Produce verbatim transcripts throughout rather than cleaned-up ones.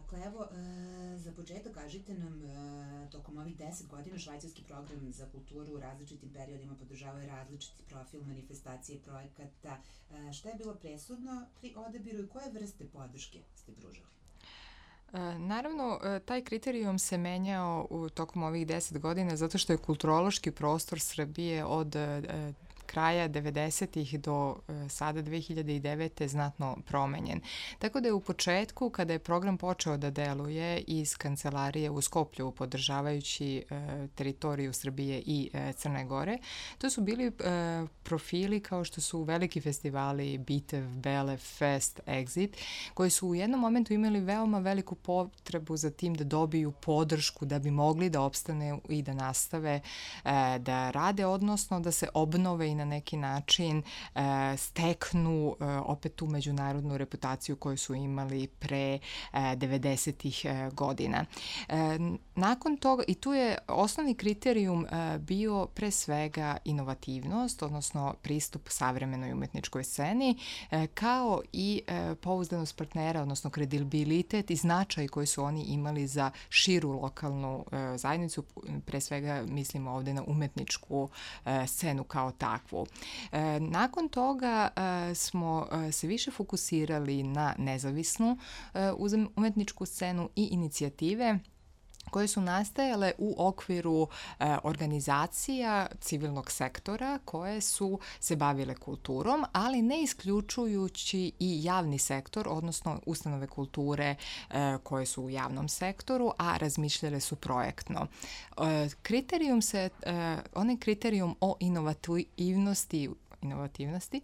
Dakle, evo, e, za početak kažite nam, e, tokom ovih deset godina švajcarski program za kulturu u različitim periodima podržavaju različiti profil manifestacije projekata. E, šta je bilo presudno pri odabiru i koje vrste podrške ste pružali? Naravno, taj kriterijum se menjao u tokom ovih deset godina zato što je kulturološki prostor Srbije od kraja devedesetih do sada dve hiljade devete. znatno promenjen. Tako da je u početku, kada je program počeo da deluje iz kancelarije u Skoplju, podržavajući e, teritoriju Srbije i e, Crne Gore, to su bili e, profili kao što su veliki festivali Bitev, Bele, Fest, Exit, koji su u jednom momentu imali veoma veliku potrebu za tim da dobiju podršku da bi mogli da opstane i da nastave e, da rade, odnosno da se obnove i na neki način e, steknu e, opet tu međunarodnu reputaciju koju su imali pre e, devedesetih e, godina. E, nakon toga, i tu je osnovni kriterijum e, bio pre svega inovativnost, odnosno pristup savremenoj umetničkoj sceni, e, kao i e, pouzdanost partnera, odnosno kredibilitet i značaj koji su oni imali za širu lokalnu e, zajednicu, pre svega mislimo ovde na umetničku e, scenu kao takvu. E, nakon toga e, smo e, se više fokusirali na nezavisnu e, umetničku scenu i inicijative koje su nastajale u okviru e, organizacija civilnog sektora koje su se bavile kulturom, ali ne isključujući i javni sektor, odnosno ustanove kulture e, koje su u javnom sektoru, a razmišljale su projektno. E, kriterijum se, e, onaj kriterijum o inovativnosti inovativnosti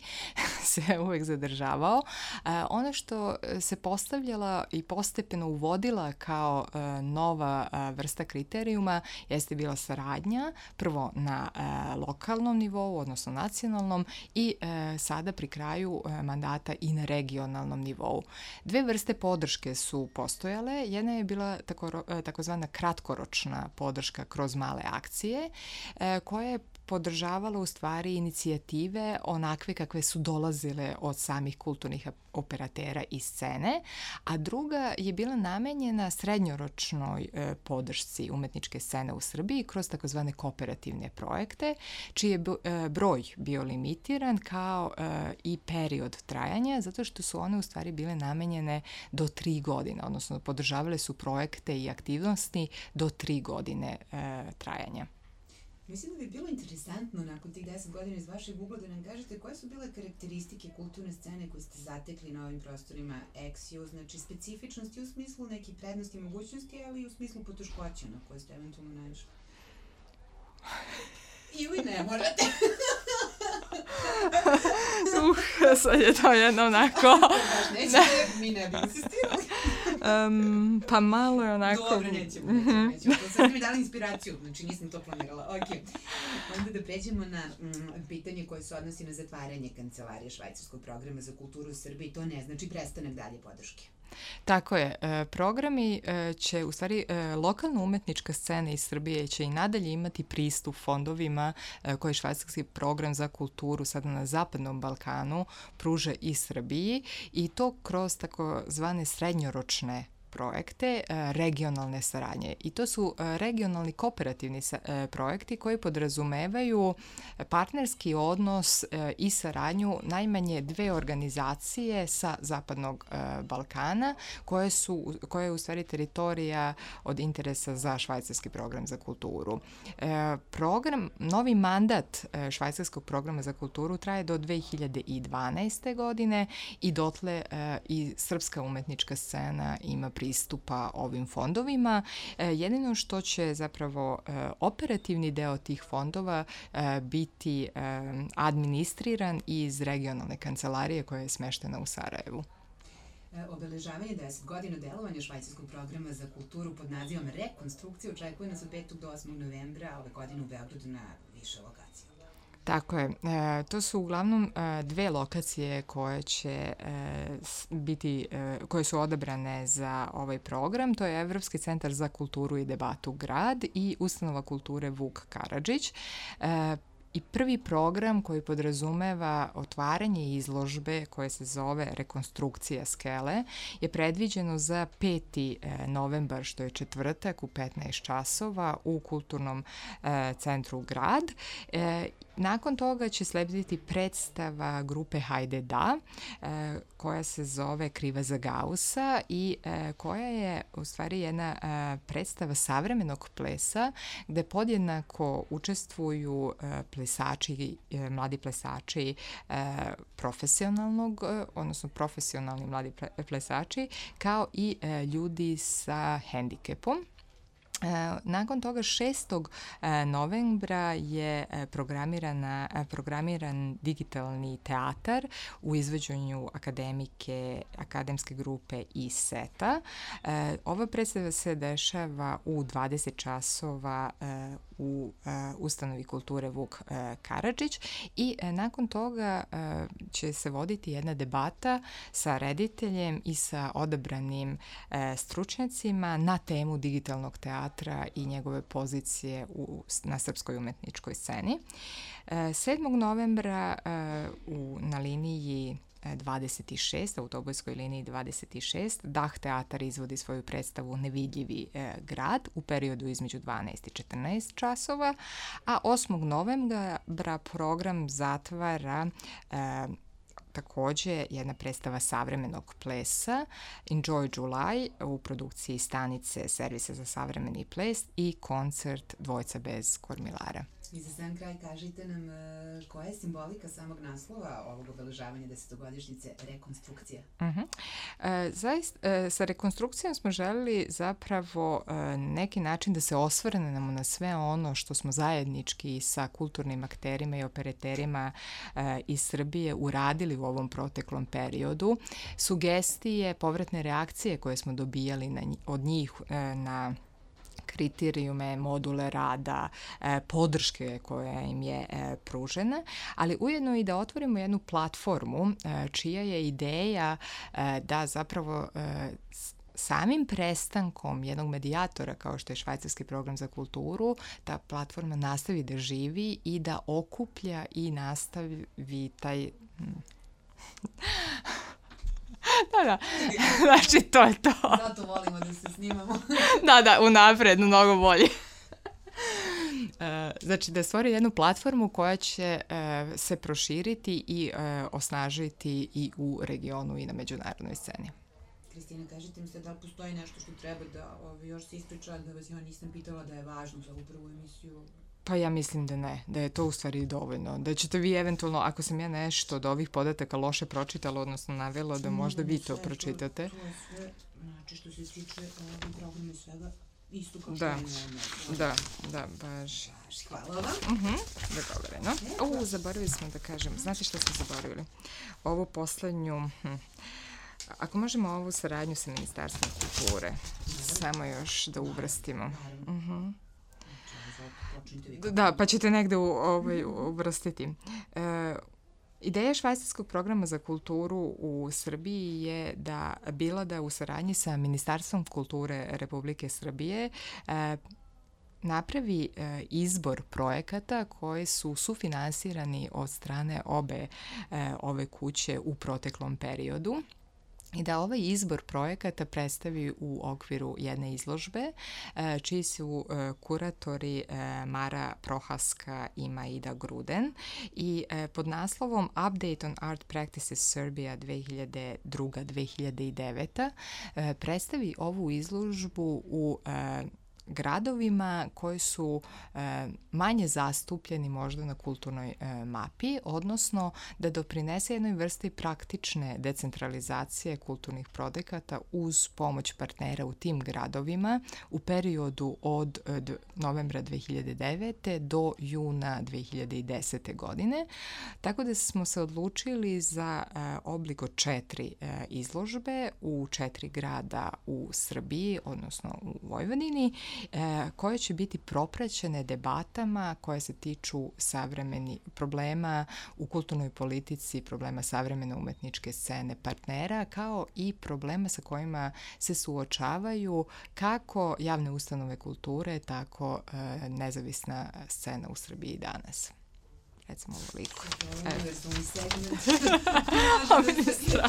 se uvek zadržavao. E, ono što se postavljala i postepeno uvodila kao e, nova e, vrsta kriterijuma jeste bila saradnja, prvo na e, lokalnom nivou, odnosno nacionalnom, i e, sada pri kraju e, mandata i na regionalnom nivou. Dve vrste podrške su postojale. Jedna je bila tako, takozvana kratkoročna podrška kroz male akcije, e, koja je podržavala u stvari inicijative onakve kakve su dolazile od samih kulturnih operatera i scene, a druga je bila namenjena srednjoročnoj e, podršci umetničke scene u Srbiji kroz takozvane kooperativne projekte, čiji je e, broj bio limitiran kao e, i period trajanja, zato što su one u stvari bile namenjene do tri godine, odnosno podržavale su projekte i aktivnosti do tri godine e, trajanja. Mislim da bi bilo interesantno nakon tih deset godina iz vašeg ugla da nam kažete koje su bile karakteristike kulturne scene koje ste zatekli na ovim prostorima Eksio, znači specifičnosti u smislu nekih prednosti i mogućnosti, ali i u smislu poteškoća na koje ste eventualno naišli. Ili ne morate. Uh, sad je to jedno onako... Baš nećete, mi ne bi insistirali. Um, pa malo je onako... Dobro, nećemo, nećemo, nećemo. To sad mi dali inspiraciju, znači nisam to planirala. Ok. Onda da pređemo na mm, pitanje koje se odnosi na zatvaranje kancelarije švajcarskog programa za kulturu u Srbiji. To ne znači prestanak dalje podrške. Tako je. Programi će, u stvari, lokalna umetnička scena iz Srbije će i nadalje imati pristup fondovima koje švajcarski program za kulturu sada na Zapadnom Balkanu pruža i Srbiji, i to kroz tako zvane srednjoročne projekte regionalne saradnje. I to su regionalni kooperativni projekti koji podrazumevaju partnerski odnos i saradnju najmanje dve organizacije sa Zapadnog Balkana koje su, koje je u stvari teritorija od interesa za švajcarski program za kulturu. Program, novi mandat švajcarskog programa za kulturu traje do dve hiljade dvanaeste. godine i dotle i srpska umetnička scena ima pristupa ovim fondovima. E, jedino što će zapravo e, operativni deo tih fondova e, biti e, administriran iz regionalne kancelarije koja je smeštena u Sarajevu. Obeležavanje deset godina delovanja švajcarskog programa za kulturu pod nazivom Rekonstrukcija očekuje nas od petog do osmog novembra ove godine u Beogradu na više lokacija. Tako je. E, to su uglavnom e, dve lokacije koje će e, biti, e, koje su odabrane za ovaj program. To je Evropski centar za kulturu i debatu Grad i Ustanova kulture Vuk Karadžić. E, i prvi program koji podrazumeva otvaranje izložbe koje se zove Rekonstrukcija skele je predviđeno za peti novembar, što je četvrtak u petnaest časova u Kulturnom e, centru Grad. E, nakon toga će slediti predstava grupe Hajde da, e, koja se zove Kriva za Gaussa i e, koja je u stvari jedna e, predstava savremenog plesa gde podjednako učestvuju e, plesači, e, mladi plesači e, profesionalnog, e, odnosno profesionalni mladi plesači, kao i e, ljudi sa hendikepom. Nakon toga šestog novembra je programirana, programiran digitalni teatar u izvođenju akademike, akademske grupe i seta. Ova predstava se dešava u dvadeset časova u ustanovi kulture Vuk Karadžić i nakon toga će se voditi jedna debata sa rediteljem i sa odabranim stručnjacima na temu digitalnog teatra i njegove pozicije u, na srpskoj umetničkoj sceni. sedmog novembra u, na liniji dvadeset šest, autobuskoj liniji dvadeset šest, Dah teatar izvodi svoju predstavu Nevidljivi e, grad u periodu između dvanaest i četrnaest časova, a osmog novembra program zatvara e, takođe jedna predstava savremenog plesa Enjoy July u produkciji stanice Servisa za savremeni ples i koncert Dvojca bez kormilara. I za sam kraj kažite nam uh, koja je simbolika samog naslova ovog obeležavanja desetogodišnjice Rekonstrukcija? Uh-huh. E, zaist, e, sa rekonstrukcijom smo želeli zapravo e, neki način da se osvrnemo na sve ono što smo zajednički sa kulturnim akterima i operaterima e, iz Srbije uradili u ovom proteklom periodu. Sugestije, povratne reakcije koje smo dobijali na, od njih e, na kriterijume, module rada, e, podrške koja im je e, pružena, ali ujedno i da otvorimo jednu platformu e, čija je ideja e, da zapravo e, samim prestankom jednog medijatora kao što je Švajcarski program za kulturu, ta platforma nastavi da živi i da okuplja i nastavi taj... Da, da, znači to je to. Zato volimo da se snimamo. Da, da, unapred, mnogo bolje. Znači da stvori jednu platformu koja će se proširiti i osnažiti i u regionu i na međunarodnoj sceni. Kristina, kažite mi se da li postoji nešto što treba da ovi, još se ispriča, da vas ja nisam pitala da je važno za ovu prvu emisiju? Pa ja mislim da ne, da je to u stvari dovoljno. Da ćete vi eventualno, ako sam ja nešto od ovih podataka loše pročitala, odnosno navela, da možda vi to pročitate. To je sve, znači što se tiče ovog programa i svega, isto kao da, što je da, da, baš. Hvala vam. Uh-huh, dogovoreno. O, zaboravili smo da kažem, znate što smo zaboravili? Ovu poslednju... Hm. Ako možemo ovu saradnju sa Ministarstvom kulture, samo još da uvrstimo. Uh-huh. Da, pa ćete negde u, ovaj, uvrstiti. E, ideja Švajcarskog programa za kulturu u Srbiji je da bila da u saradnji sa Ministarstvom kulture Republike Srbije e, napravi e, izbor projekata koji su sufinansirani od strane obe e, ove kuće u proteklom periodu. I da ovaj izbor projekata predstavi u okviru jedne izložbe, čiji su kuratori Mara Prohaska i Maida Gruden i pod naslovom Update on Art Practices Serbia dve hiljade druga do dve hiljade deveta predstavi ovu izložbu u gradovima koji su e, manje zastupljeni možda na kulturnoj e, mapi, odnosno da doprinese jednoj vrsti praktične decentralizacije kulturnih projekata uz pomoć partnera u tim gradovima u periodu od e, novembra dve hiljade devete do juna dve hiljade desete godine. Tako da smo se odlučili za e, oblik od četiri e, izložbe u četiri grada u Srbiji, odnosno u Vojvodini, koje će biti propraćene debatama koje se tiču savremeni problema u kulturnoj politici, problema savremene umetničke scene partnera, kao i problema sa kojima se suočavaju kako javne ustanove kulture, tako nezavisna scena u Srbiji danas. recimo ovoliko. Univerzalni segment. Ovo mi je strašno.